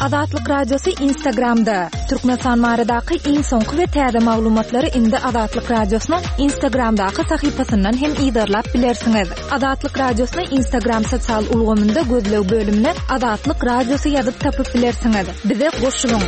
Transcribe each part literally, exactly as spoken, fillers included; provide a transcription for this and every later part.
Azatlyk Radiosy Instagramda. Türkmenistan baradaky iň soňky we täze maglumatlary indi Azatlyk Radiosynyň Instagramdaky sahypasyndan hem yzarlap bilersiňiz. Azatlyk Radiosyny Instagram sosial ulgamynda gözleg bölümine Azatlyk Radiosy ýazyp tapyp bilersiňiz. Bize goşulyň.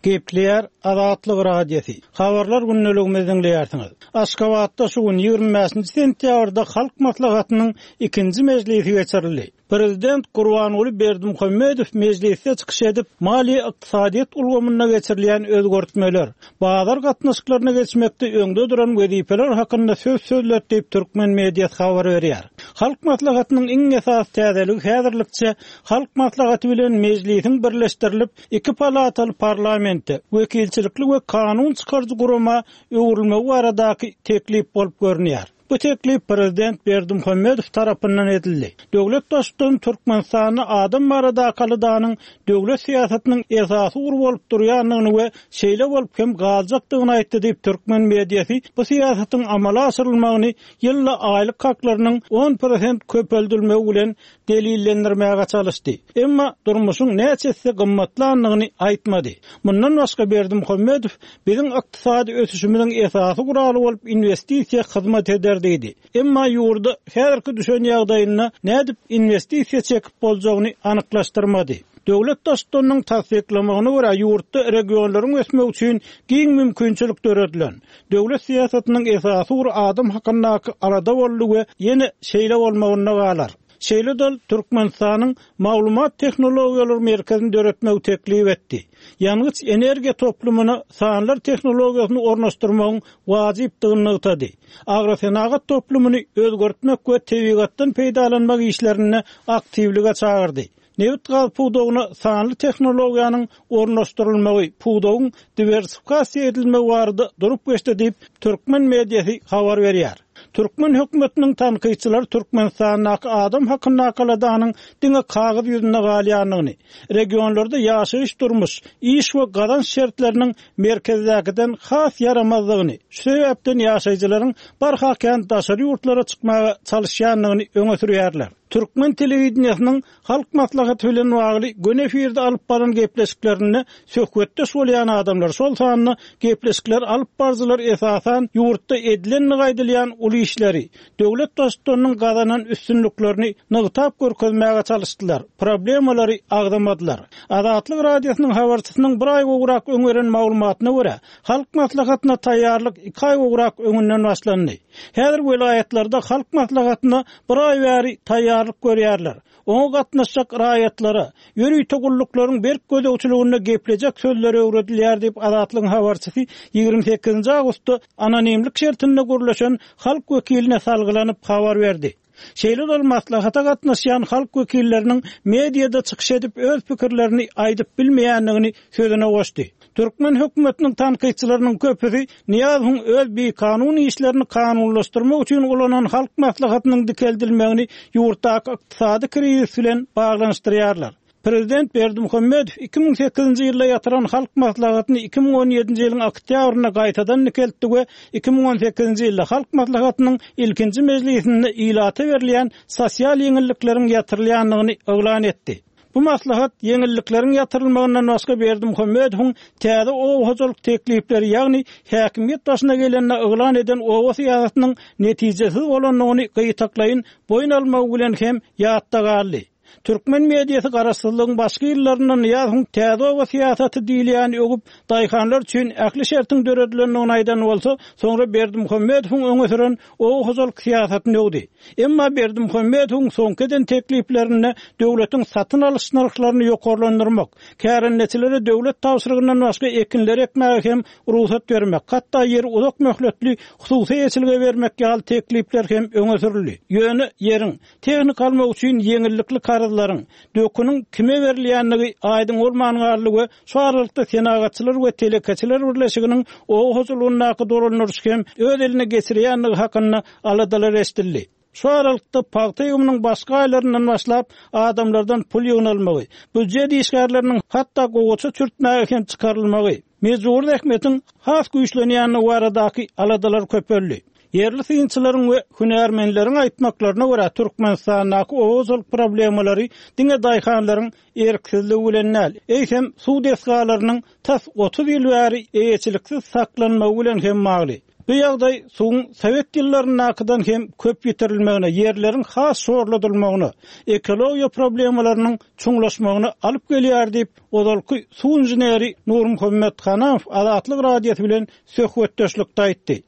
Gepleýär Azatlyk Radiosy. Habarlar gündeligimizi diňleýärsiňiz. Aşgabatda şu gün ýigrimi bäşinji sentýabrda Halk Maslahatynyň ikinji mejlisi geçirildi. Prezident Gurbanguly Berdimuhamedow mejlisde çykyş edip, maliýe ykdysadyýet ulgamynda geçirilýän özgertmeler, bazar gatnaşyklaryna geçmekde öňde duran wezipeler hakynda söz sözledi diýip türkmen mediasy habar berýär. Halk Maslahatynyň iň esasy täzeligi häzirlikçe Halk Maslahaty bilen mejlisiň birleşdirilip iki palataly parlamente, wekilçilikli we kanun çykaryjy gurama öwrülmegi baradaky teklip bolup görünýär. Bu teklip Prezident Berdimuhamedow tarapyndan edildi. Döwlet baştutany Türkmenistanda adam baradaky aladanyň döwlet syýasatynyň esasy ugry bolup durýandygyny we şeýle bolup hem galjakdygyny aýtdy diýip türkmen mediasy bu syýasatyň amala aşyrylmagyny ýylda aýlyk haklarynyň on prosent köpeldilmegi bilen delillendirmäge çalyşdy. Emma durmuşyň näçe esse gymmatlandygyny aýtmady. Mundan başga Berdimuhamedow biziň ykdysady ösüşimiziň esasy guraly bolup investisiýa hyzmat eder diýdi. Emma ýurda häzirki düşen ýagdaýynda nädip investisiýa çekip boljagyny anyklaşdyrmady. Döwlet baştutanynyň tassyklamagyna görä ýurtda regionlaryň ösmegi üçin giň mümkinçilik döredilen. Döwlet syýasatynyň esasy ugry adam hakyndaky alada boldy we ýene şeýle bolmagynda galar. Şeýle dol Türkmenistanyň maglumat tehnologiýalary merkezini döretmegi teklip etdi. Ýangyç energiýa toplumyna sanlar tehnologiýasyny ornaşdyrmagyň wajypdygyny nygtady. Agrosenagat toplumyny özgertmek we tebigatdan peýdalanmak işlerinde aktiwlige çagyrdy. Nebit gaz pudagyna sanly tehnologiýanyň ornaşdyrylmagy, pudagyň diwersifikasiýa edilmegi barada durup geçdi diýip türkmen mediasy habar berýär. Türkmen hökümetiniň tankytçylary Türkmenistandaky adam hakyndaky aladanyň diňe kagyz ýüzünde galýandygyny, regionlarda ýaşaýyş durmuş, iş we gazanç şertleriniň merkezdäkiden has ýaramazdygyny, şu sebäpden ýaşaýjylaryň barha kän daşary ýurtlara çykmaga çalyşýandygyny öňe sürýärler. Türkmen telewideniýesiniň Halk Maslahaty bilen bagly göni efirde alyp baran gepleşiklerinde söhbetdeş bolýan adamlar, şol sanda gepleşikler alyp barjylar esasan ýurtda edilenligi aýdylýan uly işleri, döwlet baştutanynyň gazanan üstünliklerini nygtap görkezmäge çalyşdylar, problemalary agzamadylar. Azatlyk Radiosynyň habarçysynyň bir aý gowrak öň beren maglumatyna görä, Halk Maslahatyna taýýarlyk iki aý gowrak öňünden başlandy. Häzir welaýatlarda Halk Maslahatyna bir aý bäri taýýarlyk görýärler. Oňa gatnaşjak raýatlara ýörite gulluklaryň berk gözegçiliginde geplejek sözleri öwredilýär diýip Azatlygyň habarçysy ýigrimi sekizinji awgustda anonimlik şertinde gürleşen halk wekiline salgylanyp habar berdi. Şeýle dol maslahata gatnaşýan halk wekilleriniň mediada çykyş edip öz pikirlerini aýdyp bilmeýändigini sözüne goşdy. Türkmen hökümetiniň tankytçylarynyň köpüsi Nyýazowyň öz bikanun işlerini kanunlaşdyrmak üçin ulanan halk maslahatynyň dikeldilmegini ýurtdaky ykdysady krizis bilen baglanyşdyrýarlar. Prezident Berdimuhamedow iki müň sekizinji ýylda ýatyran halk maslahatyny iki müň on ýedinji ýylyň oktýabrynda gaýtadan dikeltdi we iki müň on sekizinji ýylda halk maslahatynyň ilkinji mejlisinde ilata berilýän sosial ýeňillikleriň ýatyrylýandygyny yglan etdi. Bu maslahat ýeňillikleriň ýatyrylmagyndan başga Berdimuhamedowyň täze oba hojalyk teklipleri, ýagny häkimiýet başyna gelende yglan eden oba syýasatynyň netijesiz bolandygyny gytaklaýyn boýun almagy bilen hem ýatda galdy. Türkmen mediasy garaşsyzlygyň başky ýyllarynda Nyýazowyň täze oba syýasaty diýilýän öwüp, daýhanlar üçin ähli şertiň döredilendigini aýdan bolsa, soňra Berdimuhamedowyň öňe süren oba hojalyk syýasatyny öwdi. Emma Berdimuhamedowyň soňky eden tekliplerinde döwletiň satyn alyş nyrhlaryny ýokarlandyrmak, kärendeçilere döwlet tabşyrygyndan başga ekinleri ekmäge hem rugsat bermek, hatda ýeri uzak möhletli hususy eýeçilige bermek ýaly teklipler hem öňe sürüldi. Ýöne ýeriň tehnika almak üçin ýeňillikli karzlaryň döküniň kime berilýändigi aýdyň bolman galdy we şu aralykda Senagatçylar we Telekeçiler Birleşiginiň oba hojalygyndaky dolandyryş hem öz eline geçirýändigi hakynda aladalar eşidildi. Şu aralykda pagta ýygymynyň başga aýlaryndan başlap adamlardan pul ýygnalmagy, býujet işgärleriniň hatda gowaça çürtmäge hem çykarylmagy, mejbur zähmetiň has güýçlenýändigi baradaky aladalar köpeldi. Ýerli synçylaryň we hünärmenleriň aýtmaklaryna görä, Türkmenistandaky oba hojalyk problemalary diňe daýhanlaryň erksizligi bilen däl, eýsem suw desgalarynyň tas otuz ýyl bäri eýeçiliksiz saklanmagy bilen hem bagly. Bu ýagdaý suwuň sowet ýyllaryndakydan hem köp ýitirilmegine, ýerleriň has şorladylmagyna, ekologiýa problemalarynyň çuňlaşmagyna alyp gelýär diýip, ozalky suw inženeri Nurmuhammet Hanamow Azatlyk Radiosy bilen söhbetdeşlikde aýtdy.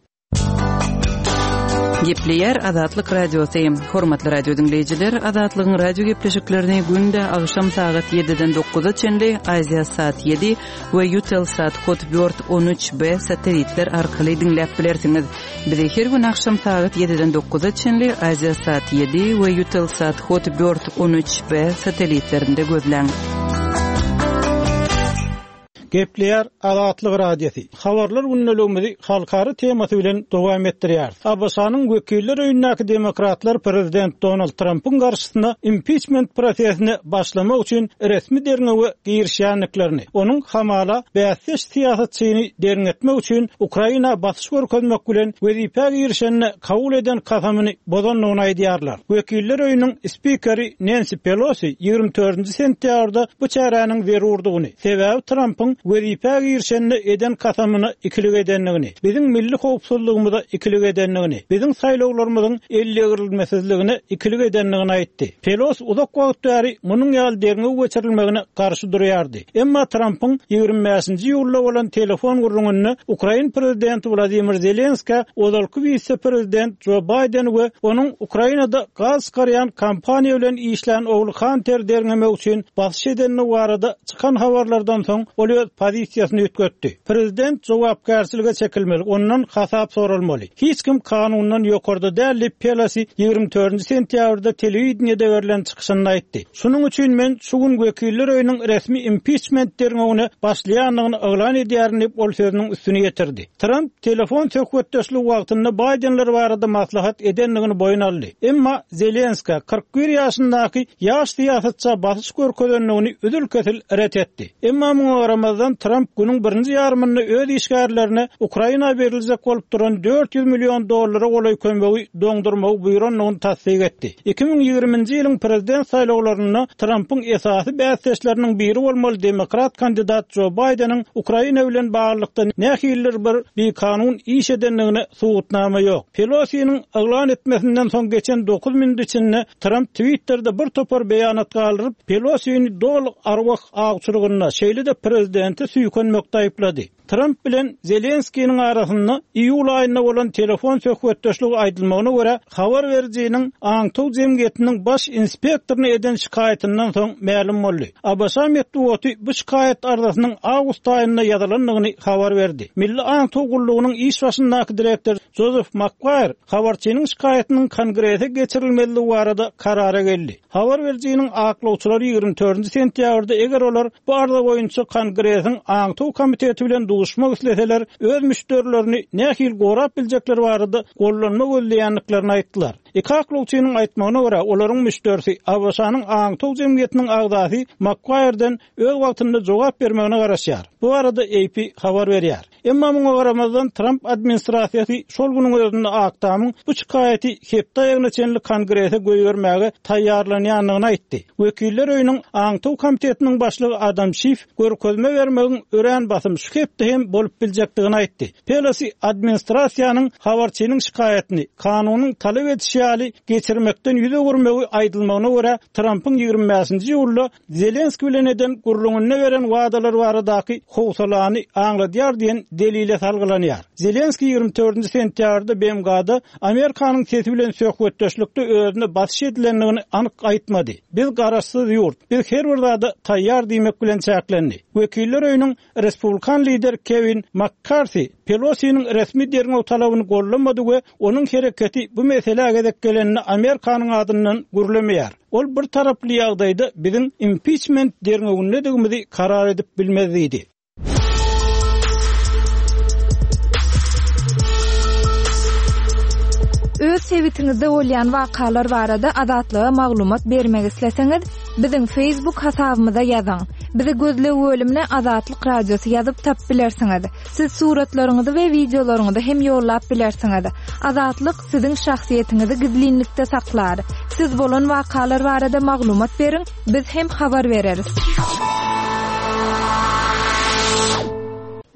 Gepleýär Azatlyk Radiosy. Hormatly radio diňleýjiler, Azatlygyň radio gepleşiklerini günde agşam sagat ýediden dokuza çenli Aziasat ýedi we Eutelsat Hotbird on üç B satellitler arkaly diňläp bilersiňiz. Bizi her gün agşam sagat ýediden dokuza çenli Aziasat ýedi we Eutelsat Hotbird on üç B satellitlerinde gözläň. Gepleýär Azatlyk Radiosy. Habarlar gündeligimizi halkara temasy bilen dowam etdirýär. A B Ş-nyň wekiller öýündäki demokratlar prezident Donald Trumpyň garşysyna impeachment prosesine başlamak üçin resmi derňewe girişýändiklerini, onuň hamala bäsdeş syýasatçyny derňetmek üçin Ukraina basyş görkezmek bilen wezipä girişenine kabul eden kasamyny bozandygyny aýdýarlar. Wekiller öýüniň spikeri Nancy Pelosi ýigrimi dördünji sentýabrda bu çäräniň zerurdygyny, sebäbi Trumpyň wezipä girişenine eden kasamyna ikilik edendigini, biziň milli howpsuzlygymyza ikilik edendigini, biziň saýlawlarymyzyň ellegirilmesizligine ikilik edendigini aýtdy. Pelosi uzak wagt bäri munuň ýaly derňew geçirilmegine garşy durýardy. Emma Trumpyň ýigrimi bäşinji iýulda bolan telefon gürrüňinde Ukrain prezidenti Wladimir Zelenska ozalky wise-prezident Joe Biden we onuň Ukrainada gaz çykarýan kompaniýa bilen işlän ogly Hunter derňemek üçin basyş edendigi barada çykan habarlardan soň ol öz pozisiýasyny üýtgetdi. Prezident jogapkärçilige çekilmeli, ondan hasap soralmaly. Hiç kim kanundan ýokarda däl diýip Pelosi ýigrimi dördünji sentýabrda telewideniýede berlen çykyşynda aýtdy. Şunuň üçin men şu gün wekiller öýüniň resmi impeachment derňewine başlaýandygyny yglan edýärin diýip ol sözüniň üstüni ýetirdi. Trump telefon söhbetdeşligi wagtynda Bidenler barada maslahat edendigini boýun aldy. Emma Zelenska kyrk bir ýaşyndaky ýaş syýasatça basyş görkezendigini üzül-kesil ret etdi. Emma muňa garamazdan Trump günüň birinji ýarymynda öz işgärlerine Ukraina beriljek bolup duran dört ýüz million dollara golaý kömegi doňdurmagy buýrandygyny tassyk etdi. Iki müň ýigriminji ýylyň prezident saýlawlarynda Trumpyň esasy bäsdeşleriniň biri bolmaly demokrat kandidat Joe Bideniň Ukraina bilen baglylykda nähilidir bir bikanun iş edendigine subutnama ýok. Pelosi'niň yglan etmesinden soň geçen dokuz minut içinde Trump Twitter'de bir topar beýanat galdyryp, Pelosi'ni doly arwah awçylygynda, şeýle-de prezidenti süýkenmekde aýyplady. Trump bilen Zelenski'niň arasynda iýul aýynda bolan telefon söhbetdeşligi aýdylmagyna görä, habar berijiniň Aňtaw jemgyýetiniň baş inspektoryna eden şikaýatyndan soň mälim boldy. A B Ş metbugaty bu şikaýat arzasynyň awgust aýynda ýazylandygyny habar berdi. Milli Aňtaw gullugynyň iş başyndaky direktor Joseph McGuire habarçynyň şikaýatynyň kongrese geçirilmelidigi barada karara geldi. Habar berijiniň aklawçylary ýigrimi dördünji sentýabrda eger olar bu arza boýunça kongresiň Aňtaw komiteti bilen duşmak isleseler, öz müşderilerini nähili gorap biljekleri barada gollanma gözleýändiklerini aýtdylar. Iki aklawçynyň aýtmagyna görä, olaryň müşderisi A B Ş-nyň Aňtaw jemgyýetiniň agzasy McGuire'den öz wagtynda jogap bermegine garaşýar. Bu arada A P habar berýär. Emma muňa garamazdan Trump administrasiýasy şol günüň özünde Ak Tamyň bu şikaýaty hepde aýyna çenli kongrese goýbermäge taýýarlanýandygyny aýtdy. Wekiller öýüniň Aňtaw komitetiniň başlygy Adam Schiff görkezme bermegiň örän basym şu hepde hem bolup biljekdigini aýtdy. Pelosi administrasiýanyň habarçynyň şikaýatyny kanunyň talap edişi ýaly geçirmekden ýüz öwürmegi aýdylmagyna görä Trumpyň ýigrimi bäşinji iýulda Zelenski bilen eden gürrüňinde beren wadalar baradaky howsalany aňladýar diýen delile salgylanýar. Zelenski ýigrimi dördünji sentýabrda B M G-da Amerikanyň sesi bilen söhbetdeşlikde özüne basyş edilendigini anyk aýtmady. Biz garaşsyz ýurt, biz her bir zada taýýar diýmek bilen çäklendi. Wekiller öýüniň Respublikan lider Kevin McCarthy Pelosi'niň resmi derňew talabyny gollamady we onuň hereketi bu meselä gezek gelenini Amerikanyň adyndan gürlemeýär. Ol bir taraply ýagdaýda biziň impeachment derňewindedigimizi karar edip bilmez diýdi. Öz sebitiňizde bolýan wakalar barada Azatlyga maglumat bermek isleseňiz, biziň Facebook hasabymyza ýazyň. Bizi gözleg bölümine Azatlyk Radiosy ýazyp tapyp bilersiňiz. Siz suratlaryňyzy we wideolaryňyzy hem ýollap bilersiňiz. Azatlyk siziň şahsyýetiňizi gizlinlikde saklar. Siz bolan wakalar barada maglumat beriň, biz hem habar bereris.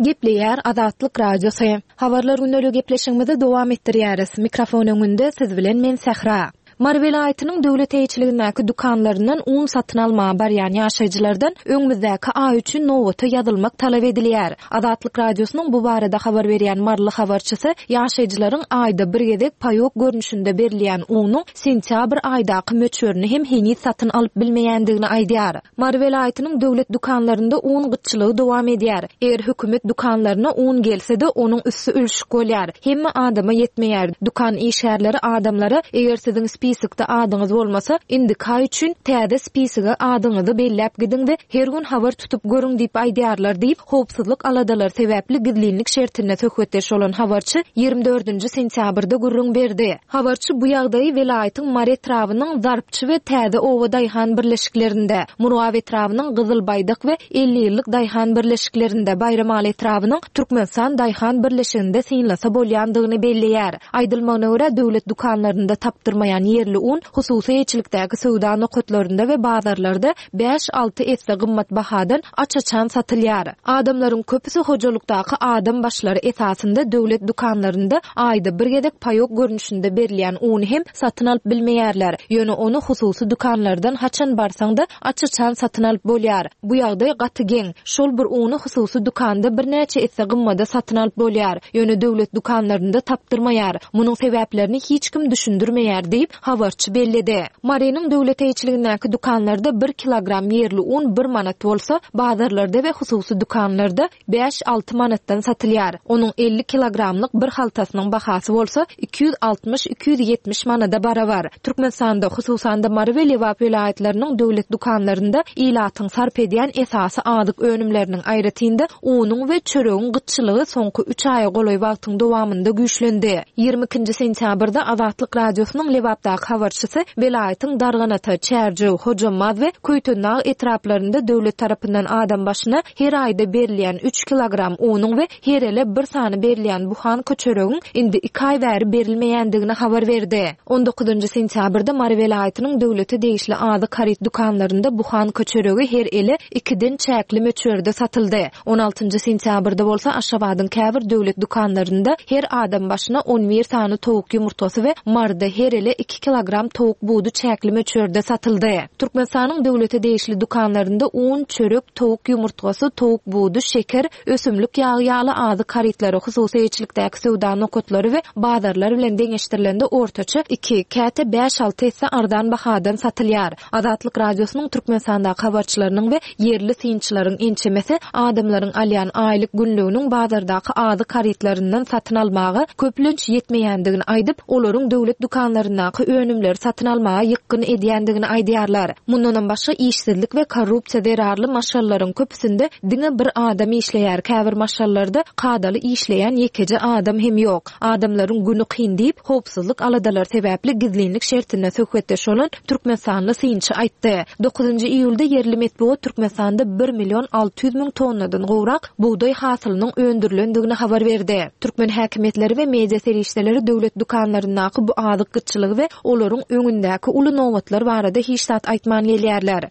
Gepleýär Azatlyk Radiosy. Habarlar gündelik gepleşigimizi dowam etdirýäris. Mikrofon öňünde siz bilen men Sähra. Mary welaýatynyň döwlet eýeçiligindäki dükanlaryndan un satyn almaga barýan ýaşaýjylardan öňümizdäki aý üçin nobata ýazylmak talap edilýär. Azatlyk Radiosynyň bu barada habar berýän Maryly habarçysy ýaşaýjylaryň aýda bir gezek paýok görnüşinde berilýän unuň sentýabr aýdaky möçberini hem heniz satyn alyp bilmeýändigini aýdýar. Mary welaýatynyň döwlet dükanlarynda un gytçylygy dowam edýär. Eger hökümet dükanlaryna un gelse-de onuň üsti ülşük bolýar. Hemme adama ýetmeýär. Dükan işgärleri adamlara eger siziň spisokda adyňyz bolmasa, indiki aý üçin täze spisoga adyňyzy belläp gidiň we her gün habar tutup görüň diýip aýdýarlar diýip, howpsuzlyk aladalary sebäpli gizlinlik şertinde söhbetdeş bolan habarçy ýigrimi dördünji sentýabrda gürrüň berdi. Habarçy bu ýagdaýy welaýatyň Mary etrabynyň Zarpçy we Täze Oba daýhan birleşiklerinde, Murgap etrabynyň Gyzyl Baýdak we elli ýyllyk daýhan birleşiklerinde, Baýramaly etrabynyň Türkmenistan daýhan birleşiginde synlasa bolýandygyny belleýär. Aýdylmagyna görä, döwlet dükanlarynda tapdyrmaýan ýerli un hususy eýeçilikdäki söwda nokatlarynda we bazarlarda bäş-alty esse gymmat bahadan aç-açan satylýar. Adamlaryň köpüsi hojalykdaky adam başlary esasynda döwlet dükanlarynda aýda bir gezek paýok görnüşinde berilýän uny hem satyn alyp bilmeýärler. Ýöne ony hususy dükanlardan haçan barsaň-da aç-açan satyn alyp bolýar. Bu ýagdaý gaty geň. Şol bir uny hususy dükanda birnäçe esse gymmada satyn alyp bolýar. Ýöne döwlet dükanlarynda tapdyrmaýar. Munuň sebäplerini hiç kim düşündirmeýär diýip, habarçy belledi. Marynyň döwlet eýeçiligindäki dükanlarda bir kilogram ýerli un bir manat bolsa, bazarlarda we hususy dükanlarda bäş-alty manatdan satylýar. Onuň elli kilogramlyk bir haltasynyň bahasy bolsa iki ýüz altmyş iki ýüz ýetmiş manada barabar. Türkmenistanda, hususan-da Mary we Lebap welaýatlarynyň döwlet dükanlarynda ilatyň sarp edýän esasy azyk önümleriniň aýratynda unuň we çöregiň gytçylygy soňky üç aýa golaý wagtyň dowamynda güýçlendi. Ýigrimi ikinji sentýabrda Azatlyk Radiosynyň Lebapdaky habarçysy welaýatyň Darganata, Çärjew, Hojambaz we Köýtendag etraplarynda döwlet tarapyndan adam başyna her aýda berilýän üç kilogram unuň we her ele bir sany berilýän buhanka çöregiň indi iki aý bäri berilmeýändigini habar berdi. On dokuzynjy sentýabrda Mary welaýatynyň döwlete degişli azyk haryt dükanlarynda buhanka çöregi her ele ikiden çäkli möçberde satyldy. On altynjy sentýabrda bolsa Aşgabadyň käbir döwlet dükanlarynda her adam başyna on bir sany towuk ýumurtgasy we Maryda her ele iki kilogram towuk budy çäkli möçberde satyldy. Türkmenistanyň döwlete degişli dükanlarynda un, çörek, towuk ýumurtgasy, towuk budy, şeker, ösümlik ýagy ýaly azyk harytlary hususy eýeçilikdäki söwda nokatlary we bazarlar bilen deňeşdirilende ortaça iki, käte bäş-alty esse arzan bahadan satylýar. Azatlyk Radiosynyň Türkmenistandaky habarçylarynyň we ýerli synçylaryň ençemesi adamlaryň alýan aýlyk günlüginiň bazardaky azyk harytlaryndan satyn almaga köplenç ýetmeýändigini aýdyp, olaryň döwlet dükanlaryndaky önümleri satyn almaga ýykgyn edýändigini aýdýarlar. Mundanam başga işsizlik we korrupsiýa zerarly maşgalalaryň köpüsinde diňe bir adam işleýär, käbir maşgalalarda kadaly işleýän ýekeje adam hem ýok. Adamlaryň günü kyn diýip, howpsuzlyk aladalary sebäpli gizlinlik şertinde söhbetdeş bolan Türkmenistanly synçy aýtdy. Dokuzynjy iýulda ýerli metbugat Türkmenistanda bir million alty ýüz müň tonnadan gowrak bugdaý hasylynyň öndürilendigini habar berdi. Türkmen häkimiýetleri we media serişdeleri döwlet dükanlaryndaky bu azyk gytçylygy we olaryň öňündäki uly nobatlar barada hiç zat aýtman gelýärler.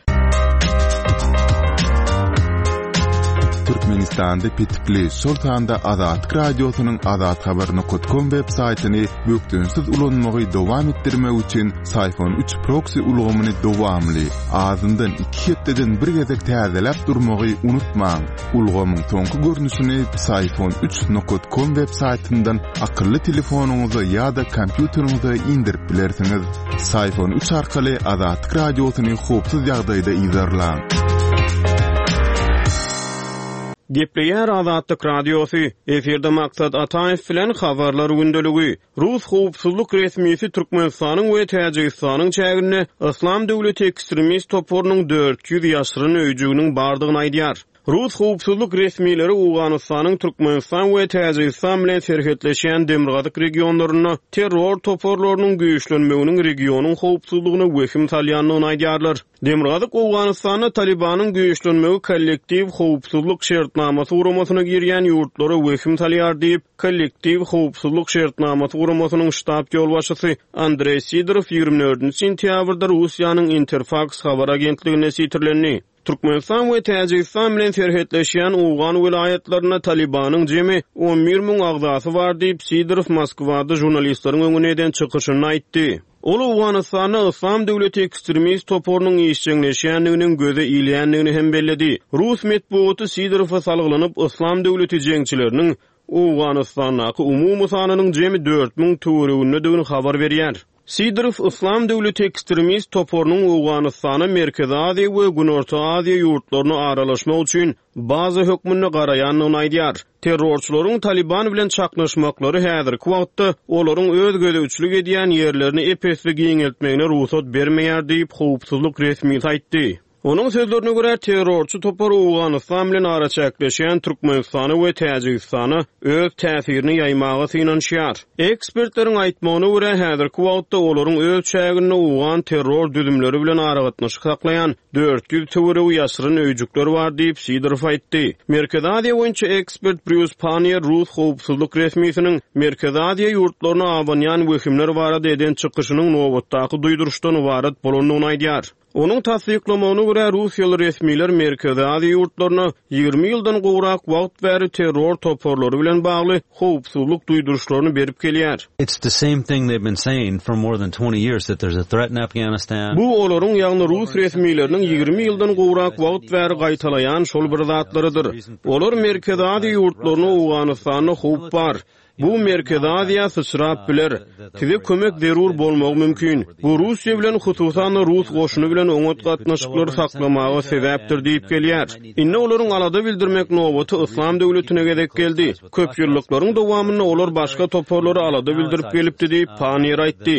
Türkmenistanda petikli, şol sanda Azatlyk Radiosynyň azathabar nokta com web saýtyny bökdençsiz ulanmagy dowam etdirmek üçin Syfon üç proksi ulgamyny dowamly, azyndan iki hepdeden bir gezek täzeläp durmagy unutmaň. Ulgamyň soňky görnüşini Syfon üç nokta com web saýtyndan akylly telefonyňyza ýa-da kompýuteriňize indirip bilersiňiz. Syfon üç arkaly Azatlyk Radiosyny howpsuz ýagdaýda yzarlaň. Gepleýär Azatlyk Radiosy. Efirde Maksat Ataýew bilen habarlar gündeligi. Rus howpsuzlyk resmisi Türkmenistanyň we Täjigistanyň çäginde Yslam döwleti ekstremist toparynyň dört ýüz ýaşyryn öýjüginiň bardygyny aýdýar. Rus howpsuzlyk resmileri Owganystanyň Türkmenistan we Täjigistan bilen serhetleşýän demirgazyk regionlarynda terror toparlarynyň güýçlenmeginiň regionyň howpsuzlygyna wehim salýandygyny aýdýarlar. Demirgazyk Owganystanda Talibanyň güýçlenmegi kollektiw howpsuzlyk şertnamasy guramasyna girýän ýurtlara wehim salýar diýip, kollektiw howpsuzlyk şertnamasy guramasynyň ştab ýolbaşçysy Andreý Sidorow ýigrimi dördünji sentýabrda Russiýanyň Interfax habar agentligine sitirlendi. Türkmenistan we Täjigistan bilen serhetleşýän Owgan welaýatlarynda Talibanyň jemi on bir müň agzasy bar diýip, Sidorow Moskwada žurnalistleriň öňünde eden çykyşynda aýtdy. Ol Owganystanda Yslam döwleti ekstremist toparynyň işjeňleşýändiginiň göze ilýändigini hem belledi. Rus metbugaty Sidorowa salgylanyp, Yslam döwleti jeňçileriniň Owganystandaky umumy sanynyň jemi dört müň töweregindedigini habar berýär. Sidorow Yslam döwleti ekstremist toparynyň Owganystana Merkezi Aziýa we Günorta Aziýa ýurtlaryna aralaşmak üçin baza hökmünde garaýandygyny aýdýar. Terrorçylaryň Taliban bilen çaknyşmaklary häzirki wagtda olaryň öz gözegçilik edýän ýerlerini epesli giňeltmegine rugsat bermeýär diýip, howpsuzlyk resmisi aýtdy. Onuň sözlerine görä, terrorçy topar Owganystan bilen araçäkleşýän Türkmenistana we Täjigistana öz täsirini ýaýmaga synanyşýar. Ekspertleriň aýtmagyna görä, häzirki wagtda olaryň öz çäginde Owgan terror düzümleri bilen aragatnaşyk saklaýan dört ýüz töweregi ýaşyryn öýjükler bar diýip, Sidorow aýtdy. Merkezi Aziýa boýunça ekspert Brýus Pannier Rus howpsuzlyk resmisiniň Merkezi Aziýa ýurtlaryna abanýan wehimler barada eden çykyşynyň nobatdaky duýduryşdan ybarat bolandygyny aýdýar. Onuň tassyklamagyna görä, Russiýaly resmiler Merkezi Aziýa ýurtlaryna ýigrimi ýyldan gowrak wagt bäri terror toparlary bilen bagly howpsuzlyk duýduryşlaryny berip gelýär. It's the same thing they've been saying for more than twenty years that there's a threat in Afghanistan. Bu olaryň, ýagny Rus resmileriniň ýigrimi ýyldan gowrak wagt bäri gaýtalaýan şol bir zatlarydyr. Olar Merkezi Aziýa ýurtlaryna Owganystanda howp bar. Bu Merkezi Aziýa syçrap biler. Size kömek zerur bolmagy mümkin. Bu Russiýa bilen, hususan-da Rus goşuny bilen oňat gatnaşyklary saklamaga sebäpdir diýip gelýär. Indi olaryň alada bildirmek nobaty Yslam döwletine gezek geldi. Köp ýyllyklaryň dowamynda olar başga toparlara alada bildirip gelipdi diýip, Pannier aýtdy.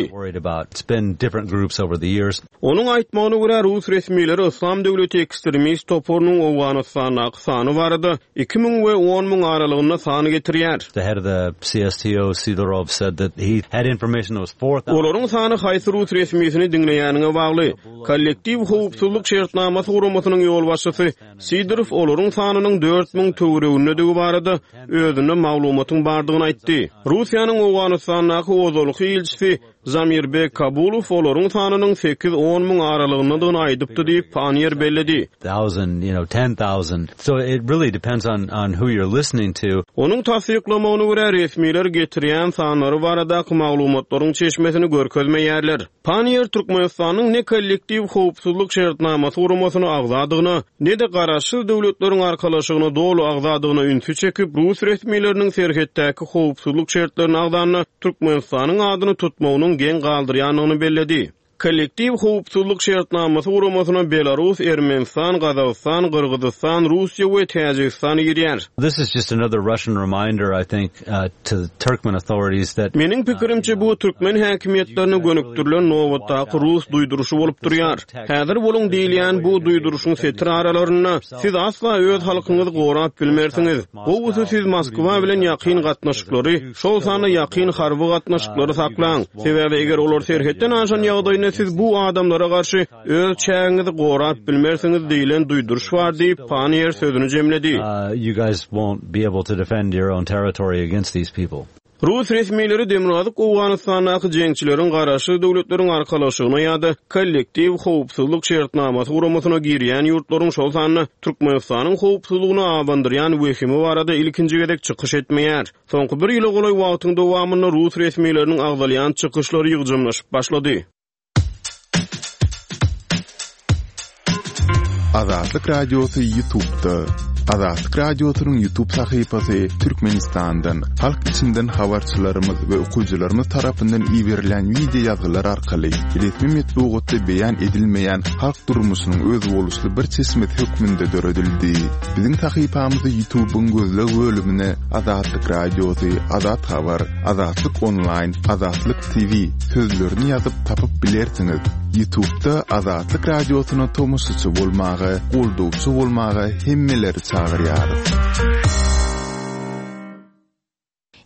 Onuň aýtmagyna görä, Rus resmileri Yslam döwleti ekstremist toparynyň Owganystandaky sany barada iki müň we on müň aralygynda san getirýär. The head of the C S T O, Sidorov, said that he had information that was four thousand. Olaryň sany haýsy Rus resmisini diňleýäniňe bagly. Kollektiw howpsuzlyk şertnamasy guramasynyň ýolbaşçysy Sidorow olaryň sanynyň dört müň töweregindedigi barada özünde maglumatyň bardygyny aýtdy. Russiýanyň Owganystandaky ozalky ilçisi Zamirbek Kabulow olaryň sanynyň sekiz on müň aralygyndadygyny aýdypdy diýip, Pannier belledi. Thousand, you know, ten thousand. So it really depends on, on who you're listening to. Onuň tassyklamagyna görä, resmiler getirýän sanlary baradaky maglumatlaryň çeşmesini görkezmeýärler. Pannier Türkmenistanyň ne kollektiw howpsuzlyk şertnamasy guramasyna agzadygyna, ne-de garaşsyz döwletleriň arkalaşygyna doly agzadygyna ünsi çekip, Rus resmileriniň serhetdäki howpsuzlyk şertlerini agzanda Türkmenistanyň adyny tutmagynyň geň galdyrýandygyny belledi. Kollektiw howpsuzlyk şertnamasy guramasyna Belarus, Ermenistan, Gazagystan, Gyrgyzystan, Russiýa we Täjigistan girýär. This is just another Russian reminder, I think, uh, to the Turkmen authorities that Meniň pikirimçe bu türkmen häkimiýetlerine gönükdirilen nobatdaky Rus duýduryşy bolup durýar. Häzir boluň diýilýän bu duýduryşyň setir aralarynda siz asla öz halkyňyzy gorap bilmersiňiz. Gowusy siz Moskwa bilen ýakyn gatnaşyklary, şol sanda ýakyn harby gatnaşyklary saklaň. Sebäbi eger olar serhetden aşan ýagdaýynda siz bu adamlara garşy öz çägiňizi gorap bilmersiňiz diýilen duýduryş bar diýip, Pannier sözüni jemledi. Uh, you guys won't be able to defend your own territory against these people. Rus resmileri Demirgazyk Owganystandaky jeňçileriň garaşsyz döwletleriň arkalaşygyna ýa-da kollektiw howpsuzlyk şertnamasy guramasyna girýän ýurtlaryň şol sanda Türkmenistanyň howpsuzlygyny abandyrýan wehimi barada ilkinji gezek çykyş etmeýär. Soňky bir ýyla golaý wagtyň dowamynda Rus resmileriniň agzalýan çykyşlary ýygjamlaşyp başlady. Azatlyk Radiosy YouTube'da. Azatlyk Radiosynyň YouTube sahypasy Türkmenistandan, halk içinden habarçylarymyz we okyjylarymyz tarapyndan iberilen video ýazgylar arkaly resmi metbugatda beýan edilmeýän halk durmuşynyň özboluşly bir çeşmesi hökmünde döredildi. Biziň sahypamyzy YouTube'yň gözleg bölümine Azatlyk Radiosy, Azat Habar, Azatlyk Online, Azatlyk T V sözlerini ýazyp tapyp bilersiňiz. YouTube'da Azatlyk Radiosyna tomaşaçy bolmaga, goldawçy bolmaga hemmeleri çagyrýarys.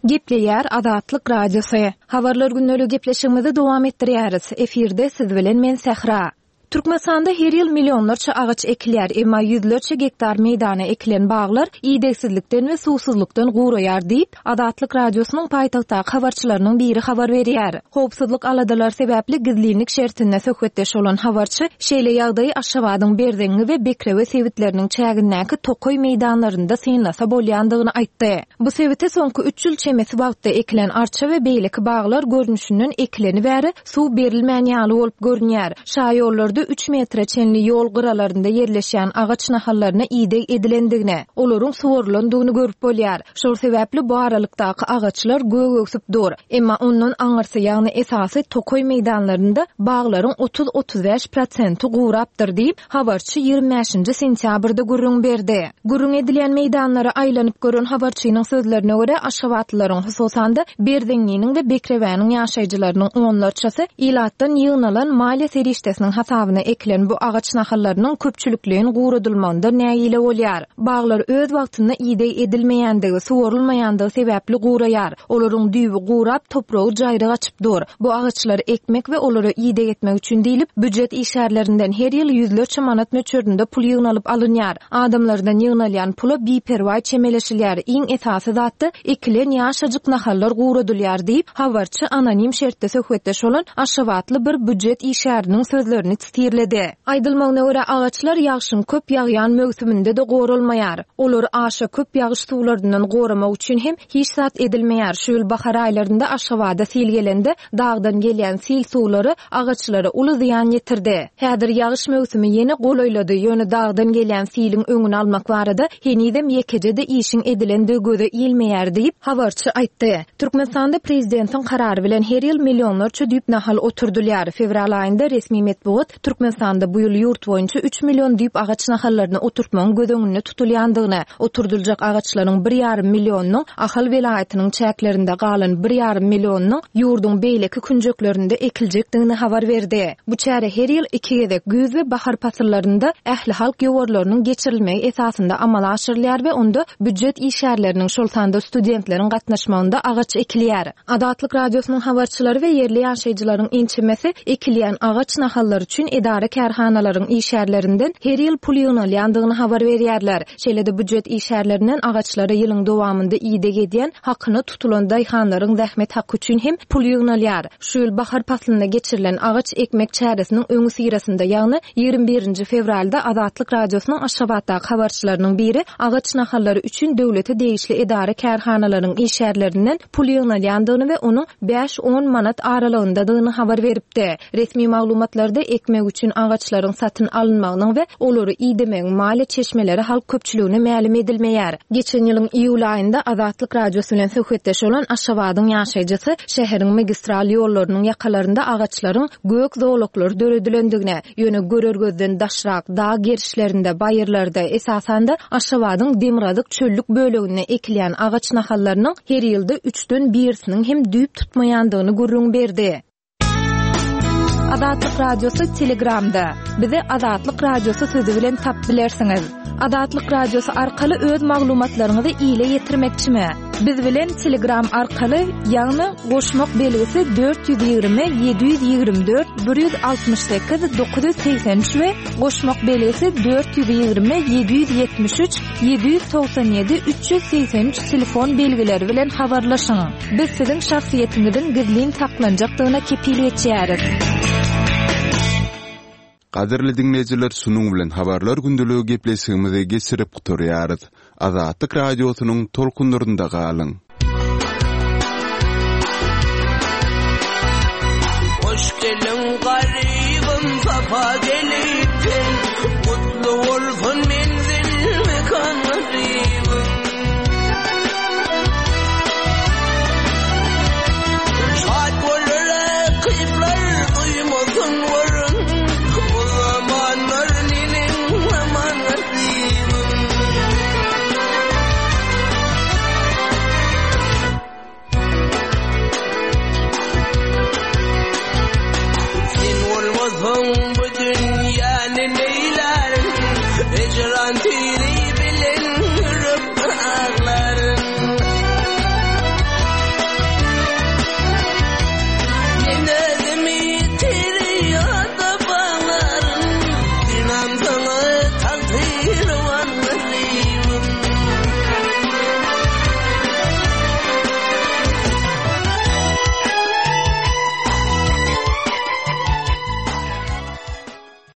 Gepleýär Azatlyk Radiosy. Habarlar günlügi gepleşigimizi dowam etdirýäris. Efirde siz bilen men Sähra. Türkmenistanda her ýyl millionlarça agaç ekilýär, emma ýüzlerçe gektar meýdana ekilen baglar idegsizlikden we suwsuzlykdan guraýar diýip, Azatlyk Radiosynyň paýtagtdaky habarçylarynyň biri habar berýär. Howpsuzlyk aladalary sebäpli gizlinlik şertinde söhbetdeş bolan habarçy şeýle ýagdaýy Aşgabadyň Berzeňňi we Bekrewe sebitleriniň çägindäki tokaý meýdanlarynda synlasa bolýandygyny aýtdy. Bu sebite soňky üç ýyl çemesi wagtda ekilen arça we beýleki baglar görnüşinden ekileni bäri suw berilmän ýaly bolup görünýär. Şaýollarda üç metre çenli ýol gyralarynda ýerleşýän agaç nahallaryna ideg edilendigini, olaryň suwarylandygyny görüp bolýar. Şol sebäpli bu aralykdaky agaçlar gög ösüp dur. Emma ondan aňyrsy, ýagny esasy tokaý meýdanlarynda baglaryň otuz otuz bäş prosenti gurapdyr diýip, habarçy ýigrimi bäşinji sentýabrda gürrüň berdi. Gürrüň edilýän meýdanlara aýlanyp gören habarçynyň sözlerine görä Aşgabatlylaryň, hususan-da Berzeňňiniň we Bekrewäniň ýaşaýjylarynyň onlarçasy ilatdan ýygnalan maliýe serişdesiniň hasabyna ekilen bu agaç nahallarynyň köpçülikleýin guradylmagynda nägile bolýar. Baglar öz wagtynda ideg edilmeýändigi, suwarylmaýandygy sebäpli guraýar. Olaryň düýbi gurap, topragy jaýryk açyp dur. Bu agaçlary ekmek we olara ideg etmek üçin diýlip, býujet işgärlerinden her ýyl ýüzlerçe manat möçberinde pul ýygnalyp alynýar. Adamlardan ýygnalýan pula biperwaý çemeleşilýär. Iň esasy zatda ekilen ýaşajyk nahallar guradylýar diýip, habarçy anonim şertde söhbetdeş bolan Aşgabatly bir býujet işgäriniň sözlerini titirledi. Aýdylmagyna görä agaçlar ýagşyň köp ýagýan möwsüminde de goralmaýar. Olary aşa köp ýagyş suwlaryndan goramak üçin hem hiç zat edilmeýär. Şu ýyl bahar aýlarynda Aşgabada sil gelende dagdan gelýän sil suwlary agaçlara uly zyýan ýetirdi. Häzir ýagyş möwsümi ýene golaýlady. Ýöne dagdan gelýän siliň öňüni almak barada henizem ýekeje-de işiň edilendigi göze ilmeýär diýip, habarçy aýtdy. Türkmenistanda prezidentiň karary bilen her ýyl millionlarça düýp nahal oturdylýar. Fewral aýynda resmi metbugat Türkmenistanda bu ýyl ýurt boýunça üç million düýp agaç nahallaryny oturtmagyň göz öňünde tutulýandygyny, oturdyljak agaçlaryň bir ýarym millionynyň Ahal welaýatynyň çäklerinde galan bir ýarym millionynyň ýurduň beýleki künjeklerinde ekiljekdigini habar berdi. Bu çäre her ýyl iki gezek güýz we bahar pasyllarynda ähli halk ýowarlarynyň geçirilmegi esasynda amala aşyrylýar we onda býujet işgärleriniň, şol sanda studentleriň gatnaşmagynda agaç ekilýär. Azatlyk Radiosynyň habarçylary we ýerli ýaşaýjylaryň ençemesi ekilýän agaç nahallary üçin edara kärhanalaryň işgärlerinden her ýyl pul ýygnalýandygyny habar berýärler. Şeýle-de býujet işgärlerinden agaçlara ýylyň dowamynda ideg edýän hakyna tutulan daýhanlaryň zähmet haky üçin hem pul ýygnalýar. Şu ýyl bahar paslynda geçirilen agaç ekmek çäresiniň öňi syrasynda, ýagny ýigrimi birinji fewralda Azatlyk Radiosynyň Aşgabatdaky habarçylarynyň biri agaç nahallary üçin döwlete degişli edara kärhanalaryň işgärlerinden pul ýygnalýandygyny we onuň bäş on manat aralygyndadygyny habar beripdi. Resmi maglumatlarda ekmek üçin agaçlaryň satyn alynmagynyň we olary idemegiň maliýe çeşmeleri halk köpçüligine mälim edilmeýär. Geçen ýylyň iýul aýynda Azatlyk Radiosy bilen söhbetdeş bolan Aşgabadyň ýaşaýjysy şäheriň magistral ýollarynyň ýakalarynda agaçlaryň gök zolaklary döredilendigine, ýöne görer gözden daşrak dağ gerişlerinde, baýyrlarda, esasan-da Aşgabadyň demirgazyk çöllük böleginde ekilýän agaç nahallarynyň her ýylda üçden birisiniň hem düýp tutmaýandygyny gürrüň berdi. Azatlyk Radiosy Telegramda. Bizi Azatlyk Radiosy sözü bilen tap bilersiňiz. Azatlyk Radiosy arkaly öz maglumatlaryňyzy ile ýetirmekçimi? Biz bilen Telegram arkaly, ýagny goşmak belgisi dört ýüz ýigrimi ýedi ýüz ýigrimi dört bir ýüz altmyş sekiz dokuz ýüz segsen üç we goşmak belgisi dört ýüz ýigrimi ýedi ýüz ýetmiş üç ýedi ýüz togsan ýedi üç ýüz segsen üç telefon belgileri bilen habarlaşyň. Biz siziň şahsyýetiňiziň gizlin saklanjakdygyna kepil geçýäris. Gadyrly dinleýjiler, şunuň bilen habarlar gündeligi gepleşigimizi geçirip gutarýarys. Azatlyk Radiosynyň tolkunlarynda galyň. Hoş gelin garibim, sapa gelipsin. Mutlu olsun menzil mekan garibim. Şad olur rakipler duymasın varın. O zamanlar ninin aman garibim. Sen olmasan bu dünyanın neyler? Ecran tiri